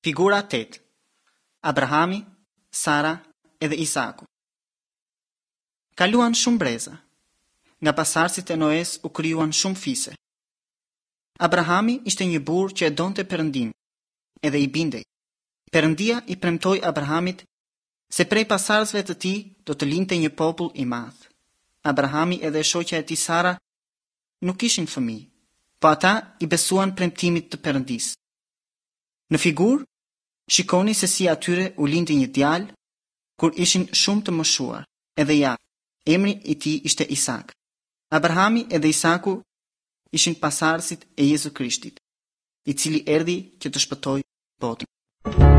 Figura 8. Abrahami, Sara edhe Isaku. Kaluan shumë breza. Nga pasardhësit e Noes u krijuan shumë fise. Abrahami ishte një burrë që e donte Perëndinë, edhe i bindej. Perëndia i premtoi Abrahamit se prej pasardhësve të tij do të lindte një popull i madh. Abrahami edhe e shoqja e tij Sara nuk kishin fëmijë, po ata i besuan premtimit të Perëndisë. Në figurë, shikoni se si atyre u lindi një djalë kur ishin shumë të moshuar, edhe ja, emri i tij ishte Isak. Abrahami edhe Isaku ishin pasardhësit e Jezu Krishtit, i cili erdhi që të shpëtojë botën.